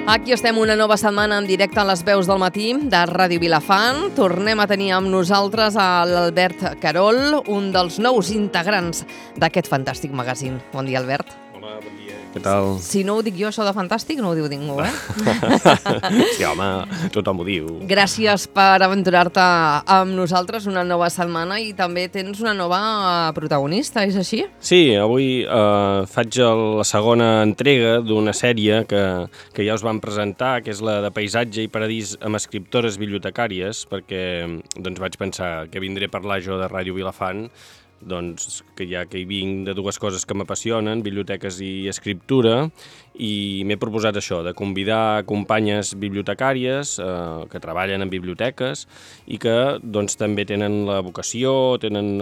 Aquí estem una nova setmana en directe a les veus del matí de Ràdio Vilafant. Tornem a tenir amb nosaltres a l'Albert Carol, un dels nous integrants d'aquest fantàstic magazín. Bon dia, Albert. Hola, bon dia. Què tal? Si no ho dic jo, això de fantàstic, no ho diu ningú, eh? Sí, home, tothom ho diu. Gràcies per aventurar-te amb nosaltres una nova setmana i també tens una nova protagonista, és així? Sí, avui faig la segona entrega d'una sèrie que ja us vam presentar, que és la de Paisatge i Paradís amb escriptores bibliotecàries, perquè doncs, vaig pensar que vindré a parlar jo de Ràdio Vilafant, doncs que ja que hi vinc de dues coses que m'apassionen, biblioteques i escriptura, i m'he proposat això, de convidar companyes bibliotecàries que treballen en biblioteques i que doncs, també tenen la vocació, tenen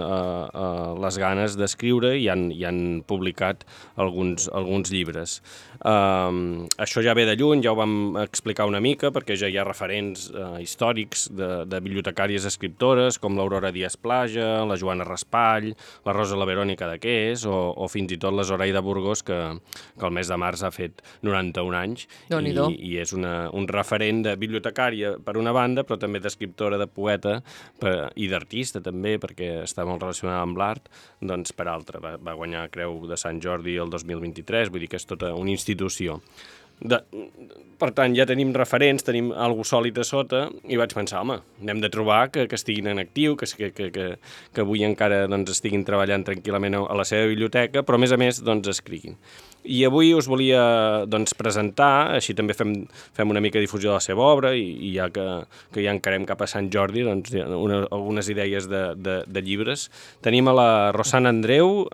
les ganes d'escriure i han publicat alguns llibres. Això ja ve de lluny, ja ho vam explicar una mica, perquè ja hi ha referents històrics de bibliotecàries escriptores, com l'Aurora Díaz Plaja, la Joana Raspall, la Rosa la Verònica de Qués o fins i tot la Zoraida Burgos, que el mes de març ha fet 91 anys i és un referent de bibliotecària per una banda, però també d'escriptora, de poeta i d'artista també, perquè està molt relacionada amb l'art, doncs per altra. Va guanyar Creu de Sant Jordi el 2023, vull dir que és tota una institució. Per tant, ja tenim referents, tenim alguna cosa sòlid a sota i vaig pensar, home, n'hem de trobar que estiguin en actiu, que avui encara doncs, estiguin treballant tranquil·lament a la seva biblioteca, però a més doncs, escriguin. I avui us volia doncs, presentar, així també fem una mica difusió de la seva obra i ja que ja encarem cap a Sant Jordi, doncs, algunes idees de llibres. Tenim a la Rosana Andreu,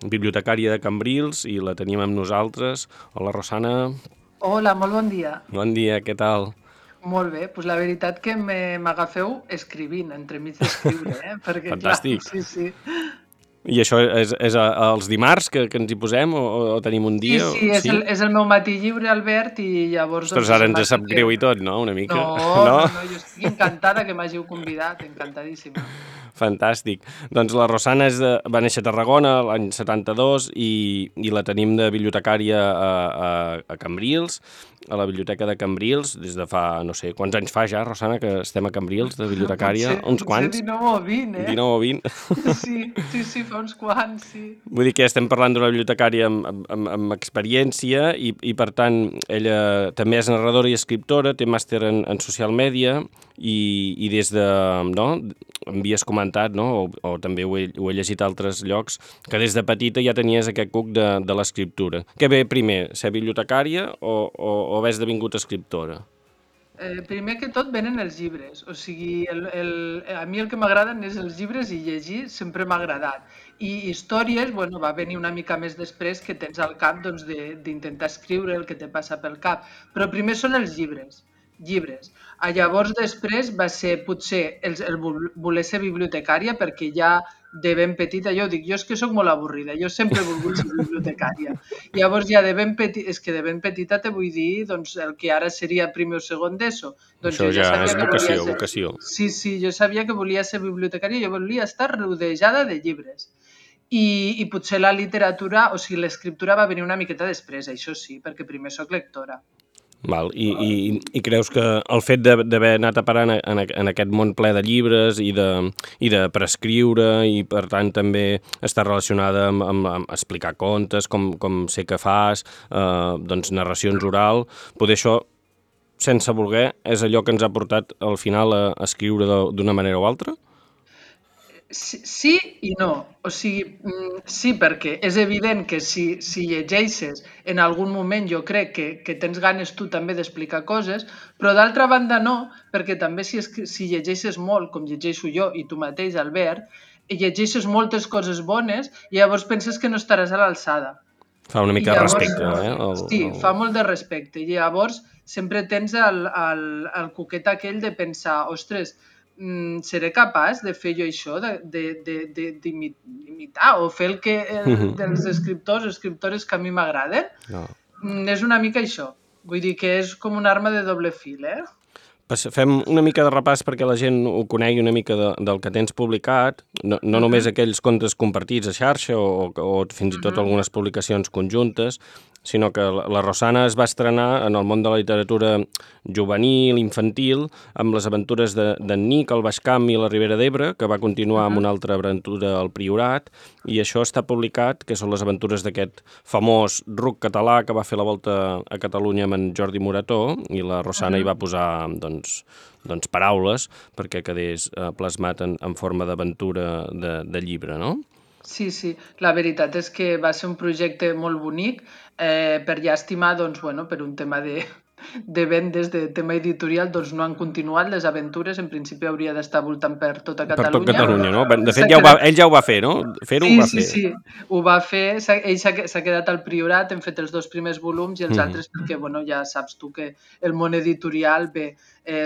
bibliotecària de Cambrils, i la tenim amb nosaltres. Hola, Rosana. Hola, molt bon dia. Bon dia, què tal? Molt bé, doncs la veritat que m'agafeu escrivint, entremig d'escriure, perquè fantàstic. Clar, sí. I això és els dimarts que ens hi posem o tenim un dia? Sí, és el meu matí lliure, Albert, i llavors... Ostres, ara ens sap greu i tot, no? Una mica. No, jo estic encantada que m'hàgiu convidat, encantadíssima. Fantàstic. Doncs la Rosana va néixer a Tarragona l'any 72 i la tenim de bibliotecària a Cambrils, a la biblioteca de Cambrils, des de fa, no sé, quants anys fa ja, Rosana, que estem a Cambrils de bibliotecària? Uns quants? 19 o 20, 19 o 20. Sí, fa uns quants, sí. Vull dir que estem parlant d'una bibliotecària amb experiència i per tant, ella també és narradora i escriptora, té màster en social media i des de, no, m'havies comentat, no, o també ho he llegit a altres llocs, que des de petita ja tenies aquest cuc de l'escriptura. Què ve primer, ser bibliotecària o haver esdevingut escriptora? Primer que tot venen els llibres, o sigui, a mi el que m'agraden és els llibres i llegir sempre m'ha agradat. I històries, bueno, va venir una mica més després que tens al cap doncs, d'intentar escriure el que te passa pel cap, però primer són els llibres. Llavors després va ser potser el voler ser bibliotecària perquè ja de ben petita, jo dic, jo és que sóc molt avorrida, jo sempre he volgut ser bibliotecària. Llavors ja de ben petita te vull dir doncs, el que ara seria primer o segon d'ESO. Doncs això ja és vocació. Sí, jo sabia que volia ser bibliotecària, jo volia estar rodejada de llibres. I potser la literatura, o sigui, l'escriptura va venir una miqueta després, això sí, perquè primer sóc lectora. Val. I creus que el fet d'haver anat a parar en aquest món ple de llibres i de prescriure i per tant també està relacionada amb explicar contes, com sé que fas, doncs narracions oral, poder això, sense voler, és allò que ens ha portat al final a escriure d'una manera o altra? Sí i no. O sigui, sí, perquè és evident que si llegeixes en algun moment jo crec que tens ganes tu també d'explicar coses, però d'altra banda no, perquè també si llegeixes molt, com llegeixo jo i tu mateix, Albert, llegeixes moltes coses bones i llavors penses que no estaràs a l'alçada. Fa una mica de respecte, Sí, fa molt de respecte. I llavors sempre tens el coquet aquell de pensar, ostres, seré capaç de fer jo això, d'imitar o fer el que dels escriptores que a mi m'agraden? No. És una mica això. Vull dir que és com una arma de doble fil, Fem una mica de repàs perquè la gent ho conegui una mica del que tens publicat, no només aquells contes compartits a xarxa o fins i tot algunes publicacions conjuntes, sinó que la Rosana es va estrenar en el món de la literatura juvenil, infantil, amb les aventures d'en Nic, el Baix Camp i la Ribera d'Ebre, que va continuar amb una altra aventura al Priorat, i això està publicat, que són les aventures d'aquest famós ruc català que va fer la volta a Catalunya amb en Jordi Morató, i la Rosana hi va posar, doncs, paraules perquè quedés plasmat en forma d'aventura de llibre, no? Sí, sí, la veritat és que va ser un projecte molt bonic, per llàstima, doncs, bueno, per un tema de vendes, de tema editorial, doncs no han continuat les aventures, en principi hauria d'estar voltant per tota Catalunya. Per tot Catalunya, no? De fet, ell ja ho va fer, no? Fer-ho Sí, ho va sí, fer. sí, ho va fer, ell s'ha quedat al Priorat, hem fet els 2 primers volums i els altres perquè, bueno, ja saps tu que el món editorial, bé,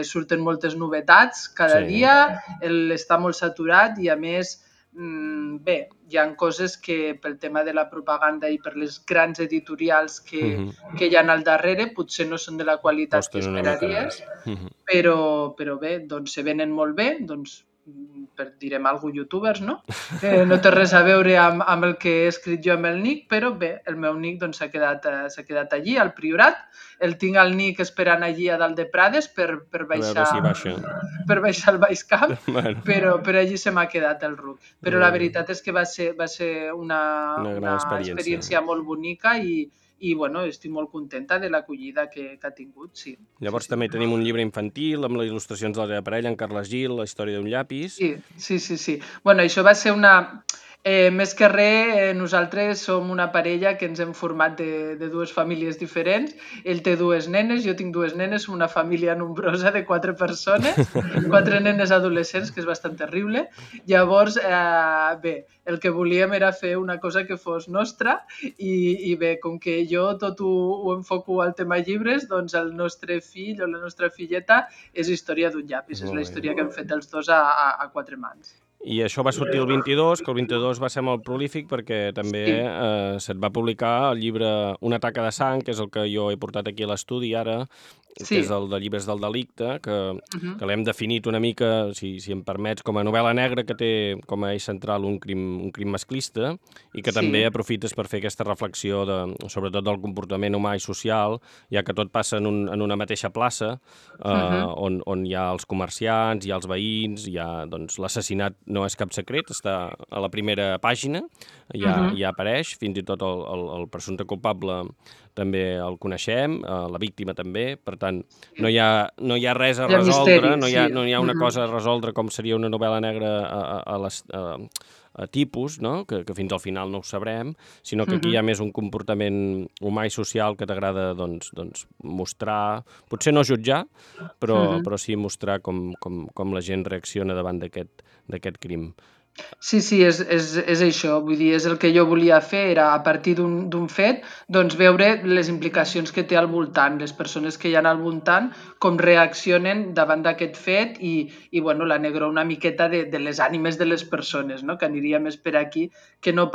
surten moltes novetats cada dia, està molt saturat i a més, bé, hi ha coses que pel tema de la propaganda i per les grans editorials que hi ha al darrere potser no són de la qualitat que esperaries, però bé, doncs se venen molt bé, doncs direm alguna youtubers, no? No té res a veure amb el que he escrit jo amb el Nic, però bé, el meu Nic doncs, s'ha quedat allí, al Priorat. El tinc al Nic esperant allí a dalt de Prades per baixar al Baix Camp, però allí se m'ha quedat el ruc. Però la veritat és que va ser una experiència molt bonica i bueno, estic molt contenta de l'acollida que ha tingut, sí. Llavors també tenim un llibre infantil amb les il·lustracions de la teva parella, en Carles Gil, La història d'un llapis. Sí. Bueno, això va ser una... més que res, nosaltres som una parella que ens hem format de 2 famílies diferents. Ell té 2 nenes, jo tinc 2 nenes, una família nombrosa de 4 persones, 4 nenes adolescents, que és bastant terrible. Llavors, bé, el que volíem era fer una cosa que fos nostra i bé, com que jo tot ho enfoco al tema llibres, doncs el nostre fill o la nostra filleta és Història d'un llapis, és la història que hem fet els 2 a 4 mans. I això va sortir el 22, que el 22 va ser molt prolífic perquè també se't va publicar el llibre Una taca de sang, que és el que jo he portat aquí a l'estudi ara, que és el de Llibres del delicte, que l'hem definit una mica, si em permets, com a novel·la negra que té com a eix central un crim masclista i que també aprofites per fer aquesta reflexió sobretot del comportament humà i social, ja que tot passa en una mateixa plaça on hi ha els comerciants, hi ha els veïns, hi ha l'assassinat no és cap secret, està a la primera pàgina, ja apareix, fins i tot el presumpte culpable també el coneixem, la víctima també, per tant, no hi ha res a resoldre, no hi ha una cosa a resoldre com seria una novel·la negra a tipus, no? Que fins al final no ho sabrem, sinó que aquí hi ha més un comportament humà i social que t'agrada mostrar, potser no jutjar, però sí mostrar com la gent reacciona davant d'aquest crim. Sí, és això, vull dir, és el que jo volia fer, era a partir d'un fet, doncs veure les implicacions que té al voltant, les persones que hi ha al voltant, com reaccionen davant d'aquest fet i bueno, la negró una miqueta de les ànimes de les persones, no? Que aniria més per aquí, que no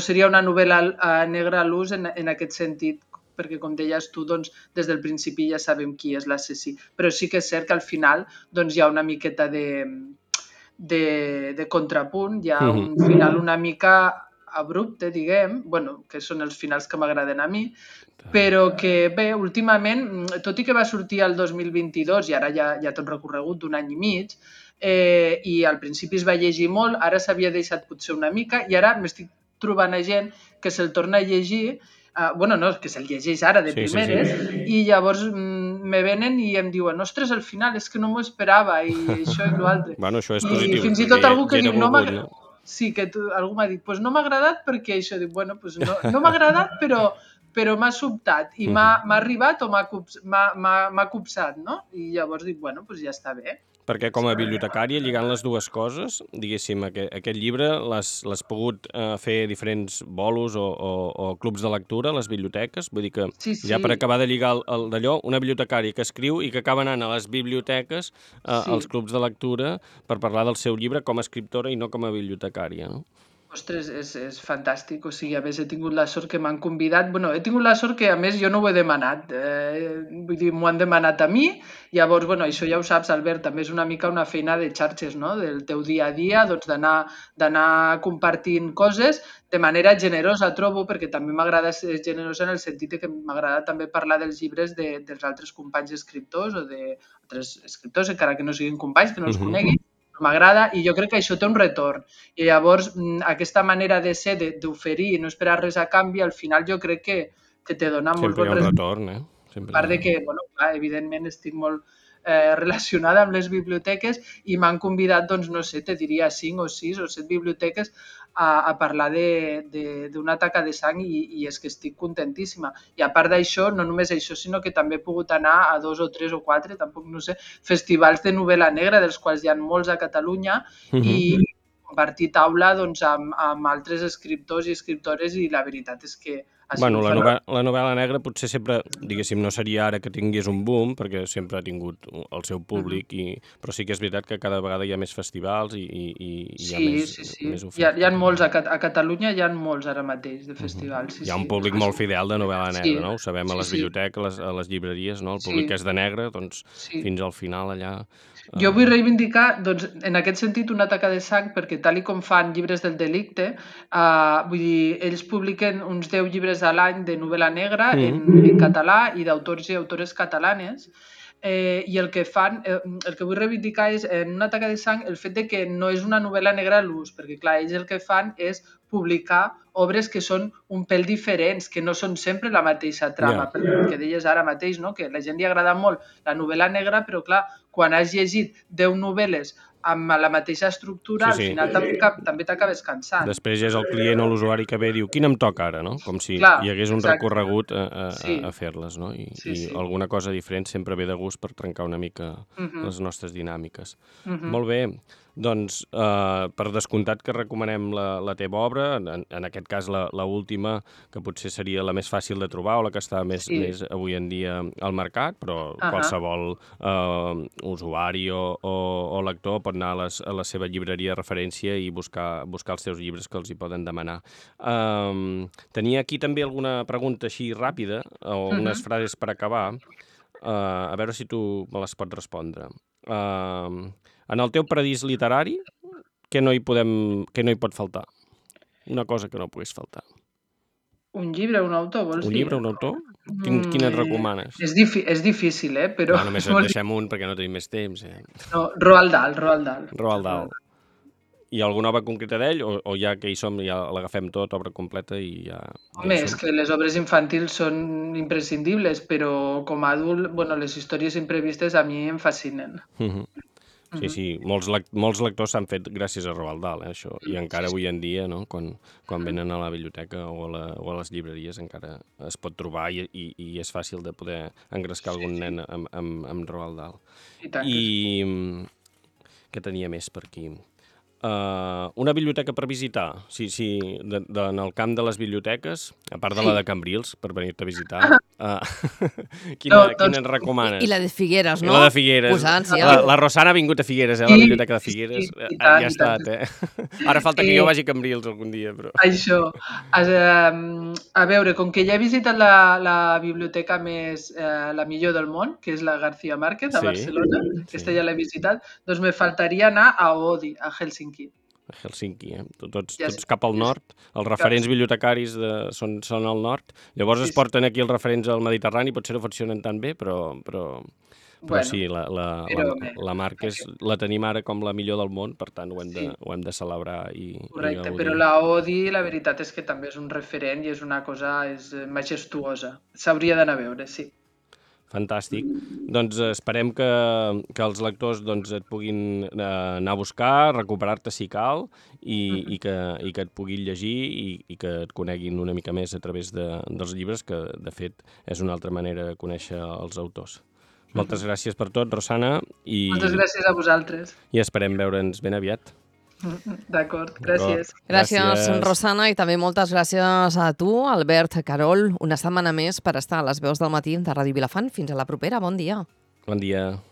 seria una novel·la negra a l'ús en aquest sentit, perquè com deies tu, doncs, des del principi ja sabem qui és l'assassí, però sí que és cert que al final doncs, hi ha una miqueta de contrapunt, hi ha un final una mica abrupte, diguem, bueno, que són els finals que m'agraden a mi, però que bé, últimament, tot i que va sortir el 2022 i ara ja tot recorregut d'un any i mig, i al principi es va llegir molt, ara s'havia deixat potser una mica i ara m'estic trobant a gent que se'l torna a llegir, que se'l llegeix ara de primeres, i llavors me venen i em diuen ostres, al final, és que no m'ho esperava i això i l'altre. Bueno, això és positiu. I fins i tot algú que diu, sí, que algú m'ha dit, doncs no m'ha agradat perquè això, dic, bueno, doncs no m'ha agradat, però m'ha sobtat i m'ha arribat o m'ha copsat, no? I llavors dic, bueno, doncs ja està bé. Perquè com a bibliotecària, lligant les dues coses, diguéssim, aquest llibre l'has pogut fer diferents bolos o clubs de lectura a les biblioteques? Vull dir que ja per acabar de lligar d'allò, una bibliotecària que escriu i que acaba anant a les biblioteques, als clubs de lectura, per parlar del seu llibre com a escriptora i no com a bibliotecària, no? Ostres, és fantàstic, o sigui, a més he tingut la sort que m'han convidat, bueno, he tingut la sort que a més jo no ho he demanat, vull dir, m'ho han demanat a mi, llavors, bueno, això ja ho saps, Albert, també és una mica una feina de xarxes, no?, del teu dia a dia, doncs d'anar compartint coses de manera generosa, trobo, perquè també m'agrada ser generosa en el sentit que m'agrada també parlar dels llibres dels altres companys escriptors o d'altres escriptors, encara que no siguin companys, que no els conegui, m'agrada i jo crec que això té un retorn. I llavors aquesta manera de ser, d'oferir i no esperar res a canvi, al final jo crec que te dona molt Sempre hi bon ha un resultat. retorn, A part de que, bueno, clar, evidentment estic molt relacionada amb les biblioteques i m'han convidat, doncs, no sé, te diria 5 o 6 o 7 biblioteques a parlar d'una taca de sang i és que estic contentíssima. I a part d'això, no només això, sinó que també he pogut anar a 2 o 3 o 4, tampoc no sé, festivals de novel·la negra, dels quals hi ha molts a Catalunya, i compartir taula doncs, amb altres escriptors i escriptores i la veritat és que ha Bueno, sigut la novel·la negra potser sempre, diguéssim, no seria ara que tingués un boom, perquè sempre ha tingut el seu públic, però sí que és veritat que cada vegada hi ha més festivals i hi ha Sí, més, sí, sí. més Hi oferta. ha molts, a Catalunya hi ha molts ara mateix de festivals, sí, Hi ha un sí. públic molt fidel de novel·la Sí, negra, no? Ho sabem a sí, les sí, biblioteques, a les llibreries, no? El sí, públic que és de negre, doncs sí. fins al final allà... Jo vull reivindicar, doncs, en aquest sentit, una taca de sang, perquè tal i com fan llibres del delicte, vull dir, ells publiquen uns 10 llibres a l'any de novel·la negra en català i d'autors i autores catalanes, i el que fan, el que vull reivindicar és en una taca de sang el fet de que no és una novel·la negra a l'ús, perquè clar, ells el que fan és publicar obres que són un pèl diferents, que no són sempre la mateixa trama, perquè el que deies ara mateix, no? Que a la gent li agrada molt la novel·la negra, però clar, quan has llegit 10 novel·les amb la mateixa estructura, Sí, al sí. final també t'acabes cansant. Després ja és el client o l'usuari que ve i diu quin em toca ara, no? Com si Clar, hi hagués un exacte. recorregut Sí, a fer-les, no? sí, I sí. alguna cosa diferent sempre ve de gust per trencar una mica les nostres dinàmiques. Molt bé, doncs per descomptat que recomanem la teva obra, en aquest cas la última, que potser seria la més fàcil de trobar o la que està més avui en dia al mercat, però qualsevol usuari o lector pot anar a la seva llibreria de referència i buscar els seus llibres que els hi poden demanar. Tenia aquí també alguna pregunta així ràpida, o unes frases per acabar, a veure si tu me les pots respondre. En el teu paradís literari, què no hi pot faltar? Una cosa que no pogués faltar. Un llibre, un autor, vols Un dir? llibre, un autor? Quin et recomanes? És difícil, però... No, només et deixem un perquè no tenim més temps. No, Roald Dahl, Roald Dahl. Roald Dahl. Hi ha alguna obra concreta d'ell o ja que hi som ja l'agafem tot, obra completa i ja Home, hi és som? que les obres infantils són imprescindibles, però com a adult, bueno, les històries imprevistes a mi em fascinen. Sí, sí, molts lectors s'han fet gràcies a Roald Dahl, això, i encara avui en dia, no? Quan venen a la biblioteca o a les llibreries encara es pot trobar i és fàcil de poder engrescar algun nen amb Roald Dahl. I tant que sí. I què tenia més per aquí? Una biblioteca per visitar, en el camp de les biblioteques, a part de la de Cambrils, per venir-te a visitar, quina ens recomanes? I la de Figueres, no? I la de Figueres. Posant-s'hi, La Rosana ha vingut a Figueres, la biblioteca de Figueres. i Ja ha tant. estat, Ara falta que jo vagi a Cambrils algun dia, però... Això. A veure, com que ja he visitat la biblioteca la millor del món, que és la García Márquez, a Barcelona, aquesta ja l'he visitat, doncs me faltaria anar a Oodi, a Helsinki. A Helsinki, tots cap al nord. Els referents bibliotecaris són al nord. Llavors es porten aquí els referents al Mediterrani, potser no funcionen tan bé, però sí, la Márquez la tenim ara com la millor del món, per tant ho hem de celebrar i Correcte, gaudir. però la Oodi, la veritat és que també és un referent i és una cosa majestuosa. S'hauria d'anar a veure, sí. Fantàstic. Doncs esperem que els lectors et puguin anar a buscar, recuperar-te si cal i que et puguin llegir i que et coneguin una mica més a través dels llibres, que de fet és una altra manera de conèixer els autors. Moltes gràcies per tot, Rosana. Moltes gràcies a vosaltres. I esperem veure'ns ben aviat. D'acord, gràcies. Gràcies, Rosana, i també moltes gràcies a tu, Albert Carol, una setmana més per estar a les veus del matí de Ràdio Vilafant. Fins a la propera, bon dia. Bon dia.